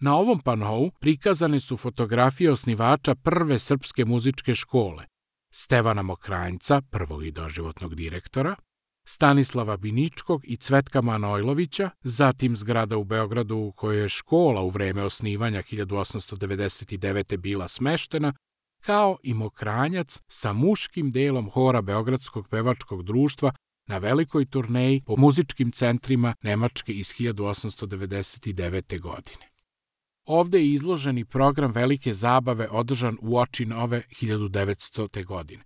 Na ovom panou prikazane su fotografije osnivača prve srpske muzičke škole, Stevana Mokranjca, prvog i doživotnog direktora, Stanislava Biničkog i Cvetka Manojlovića, zatim zgrada u Beogradu u kojoj je škola u vreme osnivanja 1899. bila smeštena, kao i Mokranjac sa muškim delom hora Beogradskog pevačkog društva na velikoj turneji po muzičkim centrima Nemačke iz 1899. godine. Ovde je izložen i program velike zabave održan uoči nove 1900. godine.